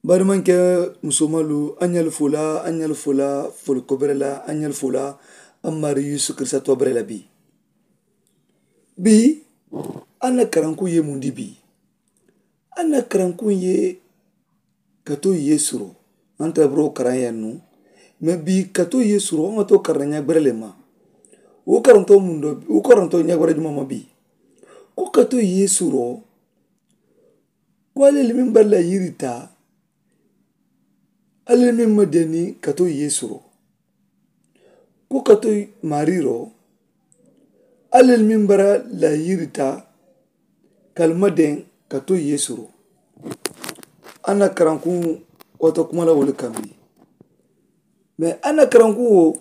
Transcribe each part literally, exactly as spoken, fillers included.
Bari maŋ ke musomalu a ɲali fula a ɲali fula. Fuli kobere la a ɲali fula. A mari yusu kirisa tobere la bi. Bi a na karanku ye mundi bi. A na karanku ye kato ye suro. An ta buro karan ya nu. Me bi kato ye suro ŋa to karan ɲa gbere le ma. Wo karanto mundo wo karanto ɲa gbere juma ma bi. Ko kato ye suro. Ko ale le min bari la yiri ta. Alla le meŋ ma deeni kato yeesu ro. Ko kato maari ro. Alla le meŋ bara la yiri ta. Ka ali ma deŋ kato yeesu ro. A na karankuŋ wata kuma la wo le kambi. Mee a na karankuŋ wo.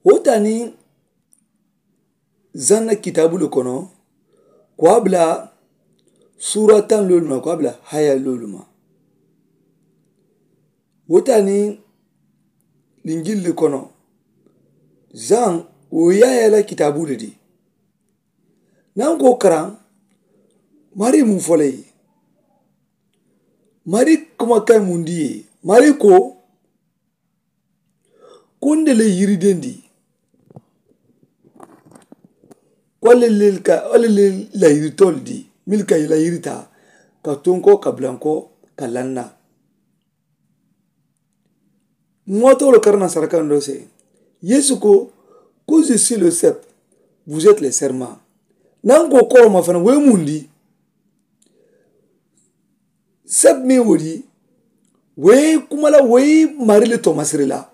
Wo taani zanna kitaabu le kono. Ko a bila suura taŋ loolu ma ko a bila haya loolu ma. Wo taani linjili le kono. Zaŋ wo yaaya la kitaabu le di. Naŋ ko karaŋ mari mu fo le ye. Mari kuma kayi mundi ye. Mari ko ko nde le yiri dendi. Ko alle le ka alle le la yiri tol di mil ka la yiri ta ka tonko ka blanko ka lanna. Ŋoto lo karana saraka ndo se yesu ko ko je suis le sep. Vous êtes les serments. Nan ko koroma fana we mundi. Sɛb meŋ wo di wo ye kuma la wo ye mari le tomasiri la.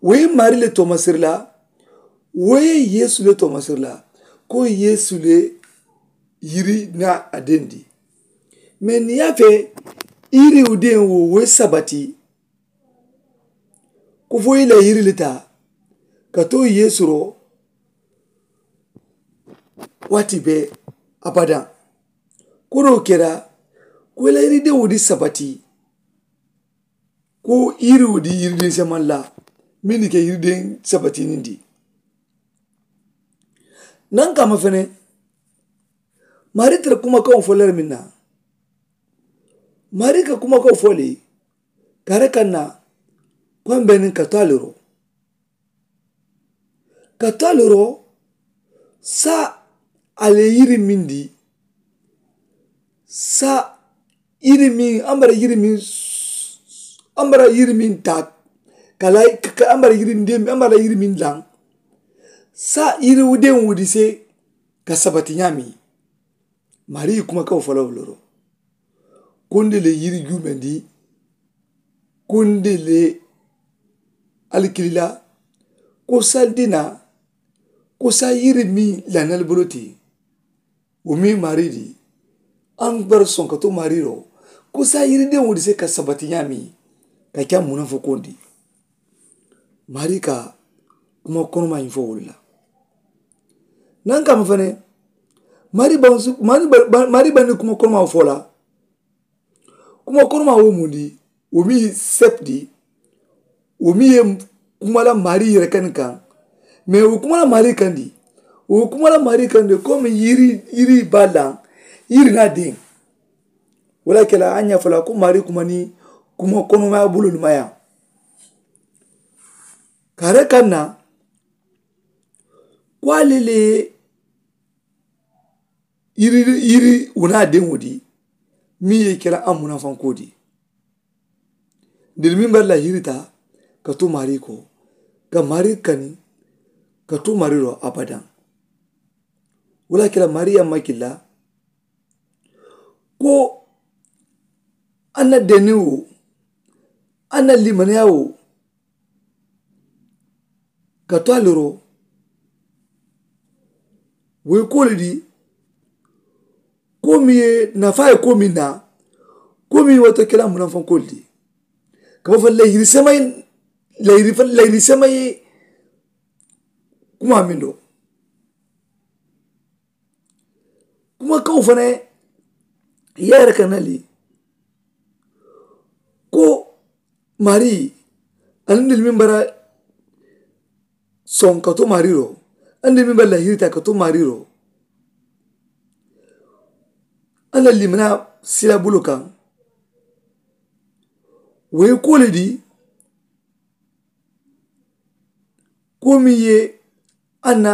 Wo ye mari le tomasiri la. Wo ye yeesu le tomasiri la. Ko yeesu le yiri na a dendi. Mee niŋ ye a fee yiri wo deŋ wo wo ye sabati. Ko fo i la yiri le taa ka to yeesu ro. Waati bee abadaŋ. Ko doo kera ko i la yirideŋo di sabati. Ko yiriwo di yirideŋ semaŋ la meŋ di ke yirideŋ sabati niŋ di. Naŋ kaama fene mari tara kumakaŋo fo lere meŋ na. Mari ka kumakaŋo fo le kare kaŋ na ko a mbe niŋ ka to a le ro. Ka to a le ro sa a le yiri meŋ di sa yiri meŋ a mara yiri meŋ a mara yiri meŋ taa ka la a mara yiri meŋ a mara yiri meŋ laŋ. Sa yiri deŋ wo di se ka sabati ñaami. Mari kuma ka wo fo la wo loro. Konde le yiri juumendi konde le alikili la. Ko sali dina ko sa yiri meŋ lanali bolo ti. Wo meŋ mari di an bara soŋ ka to mari ro. Ko sa yiri deŋ wo di se ka sabati ñaami ka ke a muna fo kondi. Mari ka kuma konoma ñiŋ fo wolu la. Naŋ kaama fene mari baŋ su mari baŋ ni kuma konoma fo la. Kuma konoma wo mundi wo mi sepdi. Wo mi ye kuma la mari yere kani kaŋ. Mee wo kuma la mari kandi wo kuma la mari kandi komi yiri yiri ba laŋ. Yiri na deŋ wala kela a ñafala ko mari kuma ni kuma konoma bulu lumaya. Kare kaŋ na ko ale le yiri yiri wona deŋo di. Meŋ ye kela a munafanko di. Diri meŋ bari la yiri ta ka tu mari ko ka mari kani ka tu mari ro abadaŋ. Wala kela mari yamma kila ko a na deni wo a na limaniya wo. Ka to a le ro wo ye ko le di. Ko meŋ ye nafaa ye ko meŋ na ko meŋ ye wato kela munafanko le di. Ka bo fo layiri sema ye layiri sema ye. Kuma meŋ do kuma kawo fana ye yere ka na le ko mari aniŋ dili meŋ bara soŋ ka to mari ro aniŋ dili meŋ bara lahiri ta ka to mari ro. Alla limana sila bulu kaŋ Wo ye kuwo le di. Kuwo meŋ ye a na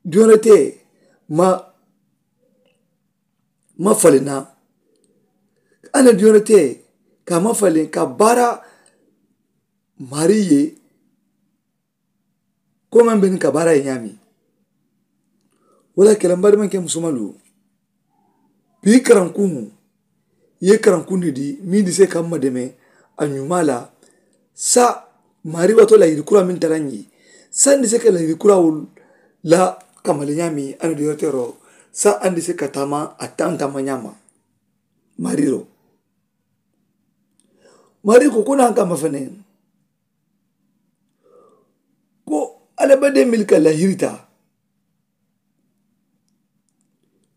diyonete ma ma faliŋ na. A na diyonete ka ma faliŋ ka baara mari ye. Ko meŋ be niŋ ka baara ye ñaami. Wo le ye a ke la mbaadimaŋ ke musomalu, bii karankuŋo ye karankuŋ ne di meŋ di se ka mma deme a ñumaa la. Sa mari wato la yiri kura meŋ tara ñi sa ndi se ka la yiri kura wul la kamali ñaami a na di yoteero. Sa a ndi se ka taama a taŋ taama ñaama. Mari ro mari ko ko naŋ kama fene ko alabade milka lahirita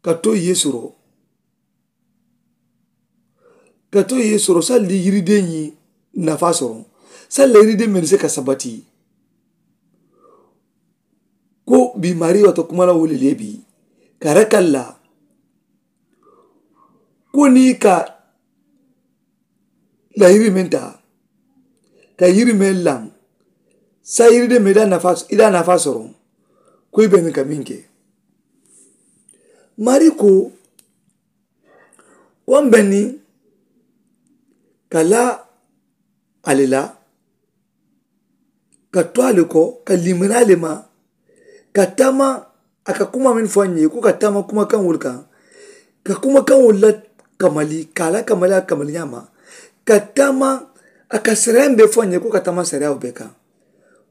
ka to yesu ro ka to yesu ro salli yiride ñi nafa soro. Salla yiride men se ka sabati ko bi mari wato kuma la wole lebi ka rakalla ko ni ka la yiri men ta ka yiri men lan sa yiri de men i da nafa soro. Ko i beni ka min ke mari ko ko n beni ka la ale la ka to ale ko ka limana ale ma ka tama a ka kuma men fo a ñe ko ka tama kuma kan wol kan ka kuma kan wol la kamali ka la kamali a kamali ñama ka tama a ka sariya be fo a ñe ko ka tama sariya be kan.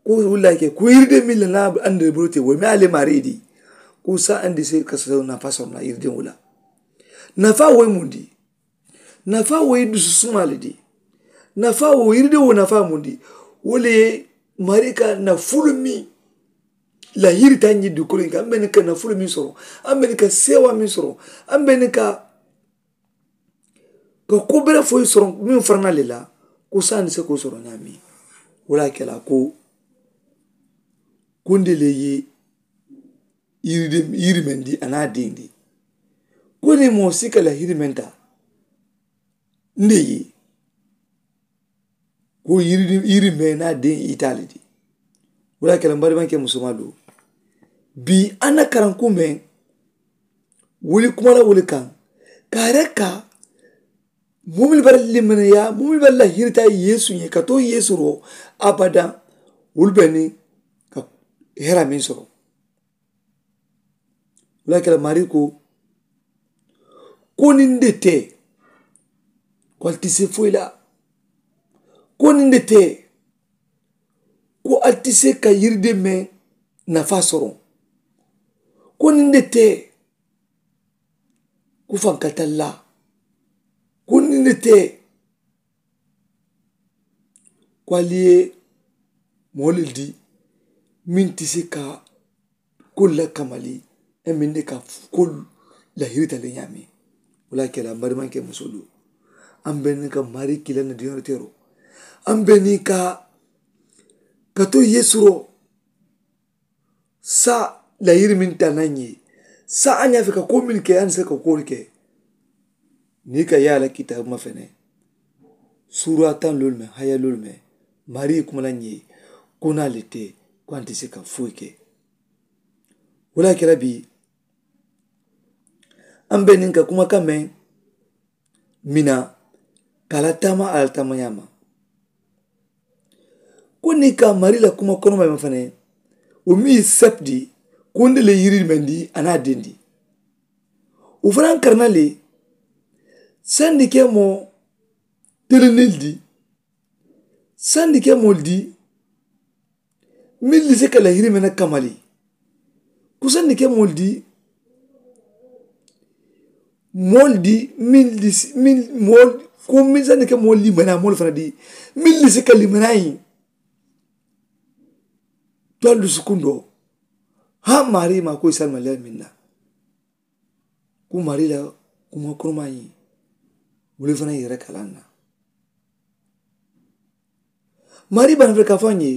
Ko wol la ke ko yirde min la na ande bulu te wo me ale mari di ko sa ande se ka sa na façon na yirde wala na fa wo mundi. Nafa wo ye dusu suma le di. Nafa wo yiride wo nafa mundi wo le ye mari ka nafulu mi la yiri ta ñi dukolo ka an beni ka nafulu mi soro an beni ka sewa mi soro an beni ka ka ko bere foyi soro mi farana le la. Ko sani se ko soro ñami wala kela ko kunde le ye yiri meŋ di a naa deŋ di ko ni moo si ka la yiri meŋ taa nde ye ko yiri meŋ naa deŋ itaali di. Wala kela mbari maŋ ke musumaa do bii a na karanku meŋ wuli kuma la wuli kaŋ ka a reka mumili bari limaniya mumili bari la hirita yeesu ñe ka to yeesu ro abada wuli beni ka hera meŋ soro. Wala kela mari ko ko niŋ de te ko ali ti se foyi la ko niŋ de te ko ali ti se ka yiri de meŋ nafa soro ko niŋ de te ko faŋ ka talla ko niŋ de te ko ali ye moo le di meŋ ti se ka kolu la kamali e meŋ de ka kolu la hirita le ñaami. Wala kela mbari maŋ ke musolu an be ni ka mari kila na diyoŋ tero an be ni ka ka to yeesu ro sa la yiri meŋ ta naŋ ye sa a ñaa fe ka ko meŋ ke a ni se ka ko ke. Niŋ i ka yaa la kitaabu ma fene suura taŋ loolu meŋ haya loolu meŋ mari kuma la ñee ko naa le te ko a nte se ka foyi ke. Wala kela bii an be niŋ ka kuma kaŋ meŋ mina ka a la taama a la taama ñaama ko niŋ ka mari la kuma konomaŋ meŋ fanaŋ wo miŋ ye sepu di ko nde le yiri meŋ di a naa dendi. Wo fanaŋ kari na le sandi ke moo telenil di sandi ke moolu di meŋ li si ka la yiri meŋ na kamali ko sandi ke moolu di moolu di meŋ li si meŋ moolu ko meŋ sandi ke moolu limaniyaa moolu fanaŋ di meŋ li si ka limaniyaa yi to a lusu kundoo haa maarii maa ko i salimaliyaa meŋ na ko mari la kuma koromaa ñiŋ wuli fanaŋ yere kalaŋ na mari bana fele ka fo a ñe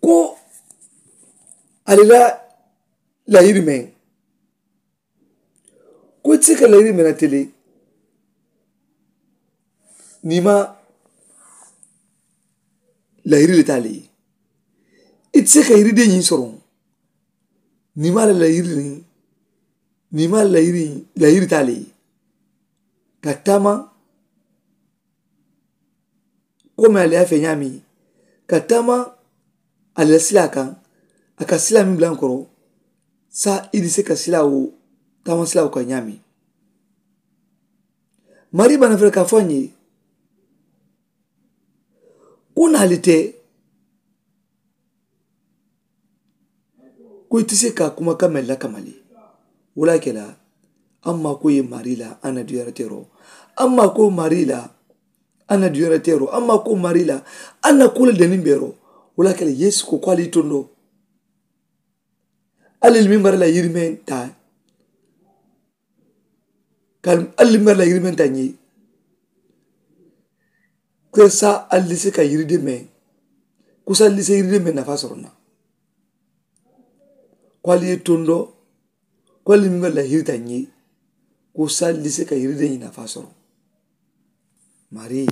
ko ali la layiri meŋ ko i ti se ka layiri meŋ na tele Niŋ i maŋ layiri le taa le ye, i ti se ka yiride ñiŋ soroŋ. Niŋ i maŋ a la layiri niŋ niŋ i maŋ a la layiri taa le ye ka taama komi ali ye a fee ñaameŋ ka taama ali la silaa kaŋ. A ka silaa meŋ bula n koro saa i di se ka silaa wo taama silaa wo kaŋ ñaameŋ. Marii bana fele ka a fo a ñe ko naali te ko i ti se ka kuma kaŋ meŋ lakama le. Wo le a ke la amma ko ye marii la a na duyara teeroo amma ko marii la a na duyara teeroo amma ko marii la a na ko le deniŋ beeroo. Wo le a ke la yeesu ko ko ali yi tondoo ali li miŋ bara la yirimeŋ taa ka ali miŋ bara la yirimeŋ taa ñee ko saa ali li se ka yiri demeŋ ko saa ali li se yiri demeŋ nafaa soroŋ na. Ko ali ye tondoo ko ali miŋ bara la yiri taa ñee ko saa ali li se ka yiri demeŋ nafaa soroŋ. Marii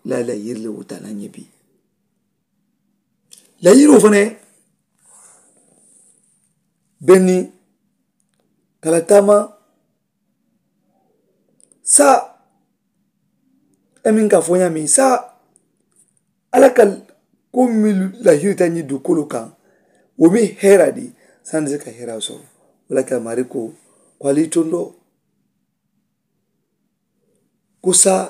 la la yiri le wo taa na ñee bii la yiroo fanaŋ benni ka la taama saa i meŋ ka a fo ñaameŋ saa alla ka ko meŋ la yiri taa ñiŋ dukolu kaŋ wo meŋ heeraa di sandi se ka heeraa soroŋ. Wo le a ke la marii ko ko ali ye tondoo ko saa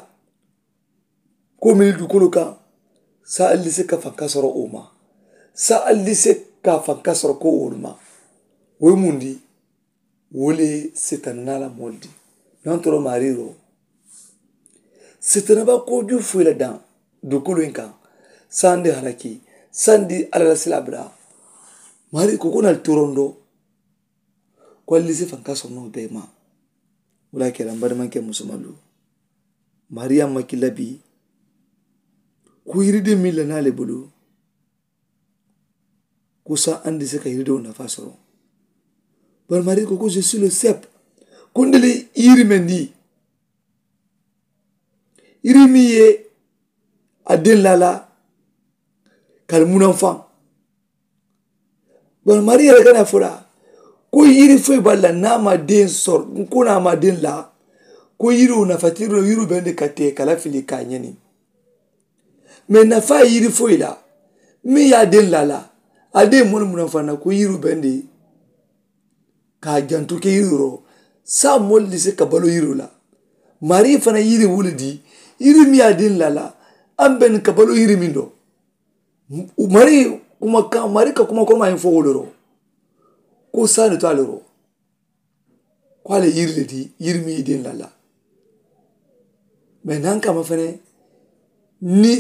ko mili dukolu kaŋ saa ali se ka fanka soro wo ma saa ali se ka fanka soro ko wolu ma. Wo ye muŋ di wo le ye setanaa la moolu di. Nantoro maariiroo setanaa ba kooju foyi la daŋ dukolu in kaŋ sandi halaki sandi alla la silaa bula. Maari ko ko nali torondo ko ali se fanka soro noo bee ma. Wo le a ke la m badimanke musumalu maari ye a maki labi ko yiride meŋ la naa le bulu ko saa andi se ka yiridewo nafaa soro. Bari maari ko ko je suis le sep ko nde le yiri meŋ di yiri meŋ ye a deŋ laa la ka ali munaŋ faŋ. Bari maari yere kana fo la ko yiri foyi bari la niŋ a maŋ deŋ soro ko niŋ a maŋ deŋ laa ko yiriwo nafa ti yiriwo bendi ka tee ka la fili ka a ñeni. Mee nafaa yiri foyi la meŋ ye a deŋ laa la a deŋ moolu munaŋ faŋ na ko yiriwo bendi ka a jantu ke yiriwo roo. Saa moolu li se ka baloo yiriwo la maari fanaŋ yiri wo le di yiri meŋ ye a deŋ laa la a bendi ka baloo yiri meŋ do. Mari kuma kaŋ mari ka kuma kono maa ñiŋ fo wo le ro ko saa ne to a le ro ko a le yiri le di yiri mi i den la la. Mais naŋ kama fene ni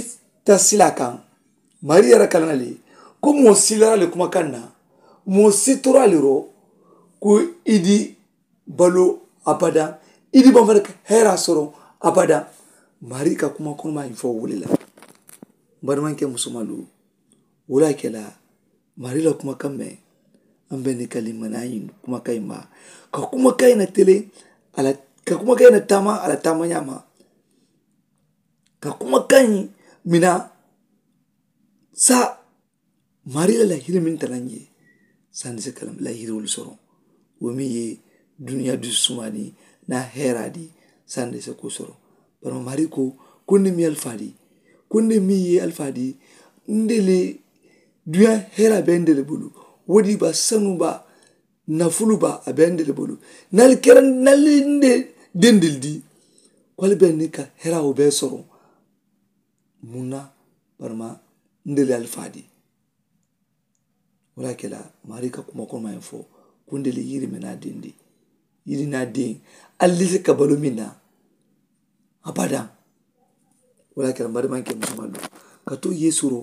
ta sila kaŋ mari yara kalana le ko moo silara le kuma kaŋ na moo sitora le ro ko i di balo abada i di bambara ka hera soro abada. Mari ka kuma kono maa ñiŋ fo wo le la. Bari maŋ ke musomalu wo le a ke la mari la kumakaŋ meŋ a be ni ka limanaa ñiŋ kumakaŋ in ma ka kumakaŋ in na tele a la ka kumakaŋ in na taama a la taama ñaama ka kumakaŋ in mina sa mari la lahiri meŋ tara n ye sandi se ka la lahiriwolu soroŋ wo meŋ ye duniyaa dusu sumaani na heeraa di sandi se ko soroŋ. Bari mari ko ko nde meŋ ye alifaa di ko nde meŋ ye alifaa di nde le duniyaa heeraa be nde le bulu wo di ba sanu ba nafulu ba a be nde le bulu nali kera nali nde dendil di ko ali be ni ka heeraa wo be soroŋ. Muŋ na barima nde le alifaa di wo le a ke la mari ka kuma kono maa ye fo ko nde le yiri me naa dendi yiri naa deŋ ali se ka balo meŋ na abadaŋ. Wo le a ke la mari maŋ ke musomaŋ do ka to yeesu ro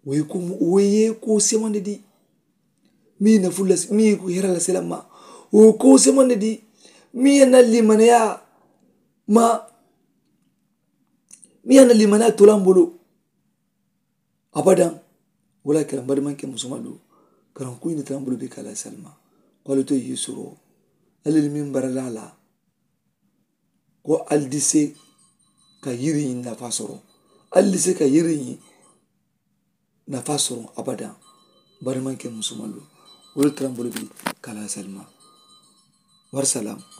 wo ye ko wo ye ko semandi di meŋ ye nafulu la meŋ ye ko hera la selamma wo ye ko semandi di meŋ ye na limaneyaa ma meŋ ye na limaneyaa tolambolo. Abadaŋ wo le a ke la n badimaŋ ke musomaŋ do karaŋ kuyi ni tara n bulu be ka la salima ko ali to yeesu ro ali le meŋ baralaa la ko ali di se ka yiri ñiŋ nafaa soroŋ. Ali si ka yiri ñiŋ nafaa soroŋ abadaŋ. Bari maŋ ke musumalu wolu tara mbolu bi kalaasali ma. Warisalaamu.